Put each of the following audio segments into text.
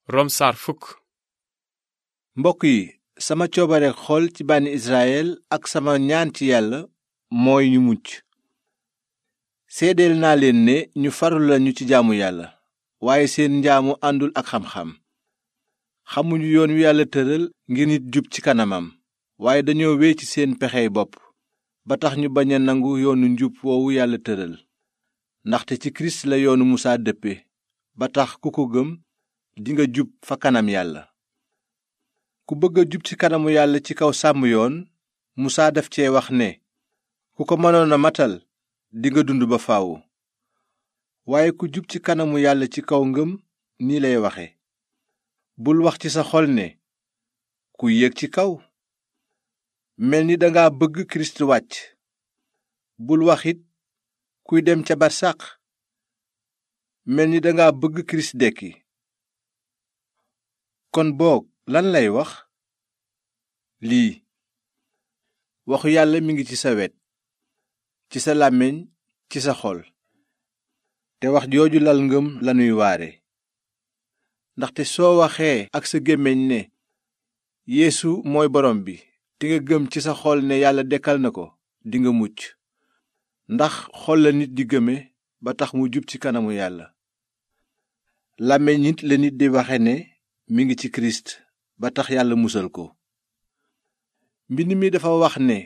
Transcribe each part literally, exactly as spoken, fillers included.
rom saar fukk. mbokk yi sama coobare xol ci bànni Israyel ak sama ñaan ci yàlla mooy ñu mucc. seedeel naa leen ne ñu farlu lañu ci jaamu yàlla, waaye seen njaamu àndul ak xam-xam. xamuñu yoon wi yàlla tëral ngir nit jub ci kanamam, waaye dañoo wéy ci seen pexey bopp ba tax ñu bañ a nangu yoonu njub woowu yàlla tëral. ndaxte ci kirist la yoonu musaa dëppe ba tax ku ko gëm dinga jub fa kanam yàlla. ku bëgg a jub ci kanamu yàlla ci kaw sàmm yoon, musaa daf cee wax ne ku ko mënoon a matal dinga dund ba faaw. waaye ku jub ci kanamu yàlla ci kaw ngëm nii lay waxe: bul wax ci sa xol ne ku yéeg ci kaw, mel ni danga bëgg kirist wàcc. bul wax it kuy dem ca barsàq, mel ni danga bëgg kirist dekki. kon boog lan lay wax? lii: waxu yàlla mi ngi ci sa wet, ci sa làmmiñ, ci sa xol. te wax jooju lal ngëm lanuy waare. ndaxte soo waxee ak sa gémmiñ ne Yeesu mooy borom bi, te nga gëm ci sa xol ne yàlla dekkal na ko, dinga mucc. ndax xol la nit di gëme ba tax mu jub ci kanamu yàlla. làmmiñ nit la nit di waxe ne mi ngi ci kirist ba tax yàlla musal ko. mbind mi dafa wax ne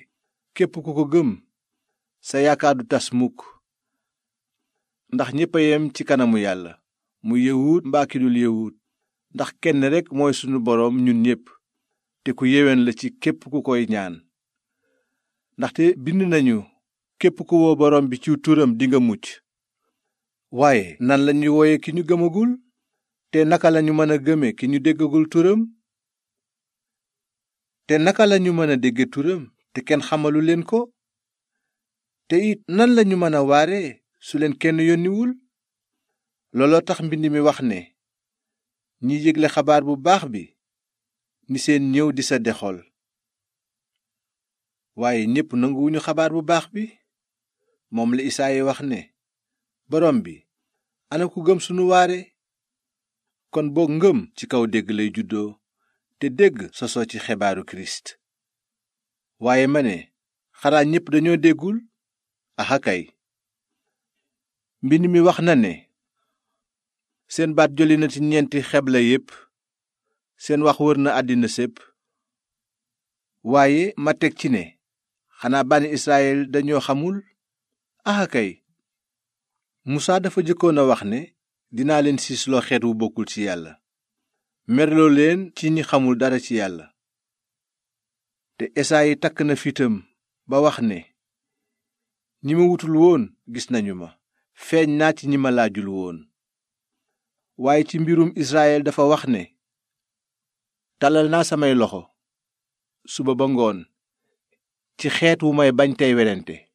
képp ku ko gëm sa yaakaar du tas mukk. ndax ñépp a yem ci kanamu yàlla, mu yëwut mbaa ki dul yëwut, ndax kenn rekk mooy sunu boroom ñun ñépp, te ku yéwén la ci képp ku koy ñaan. ndaxte bind nañu képp ku woo boroom bi ci turam dinga mucc. waaye nan lañuy wooye ki ñu gëmagul? te naka lañu mën a gëme ki ñu déggagul turam? te naka lañu mën a dégge turam te kenn xamalu leen ko? te it nan lañu mën a waare su leen kenn yónniwul? looloo tax mbind mi wax ne ñi yégle xabaar bu baax bi ni seen ñëw di sa dexol. waaye ñépp nanguwuñu xabaar bu baax bi. moom la Isaayi wax ne borom bi, ana ku gëm sunu waare? kon boog ngëm ci kaw dégg lay juddoo, te dégg sosoo ci xibaaru kirist. waaye ma ne xanaa ñépp dañoo déggul? axa kay. mbind mi wax na ne seen baat jolli na ci ñeenti xebla yépp, seen wax wër na àddina sépp. waaye ma teg ci ne xanaa bànni Israyel dañoo xamul? axa kay. musaa dafa jëkkoon a wax ne dinaa leen siisloo xeet wu bokkul ci yàlla, merloo leen ci ñi xamul dara ci yàlla. te Esaayi takk na fitam ba wax ne ñi ma wutul woon gis nañu ma, feeñ naa ci ñi ma laajul woon. waaye ci mbirum Israyel dafa wax ne tàllal naa samay loxo suba ba ngoon ci xeet wu may bañ tey werante.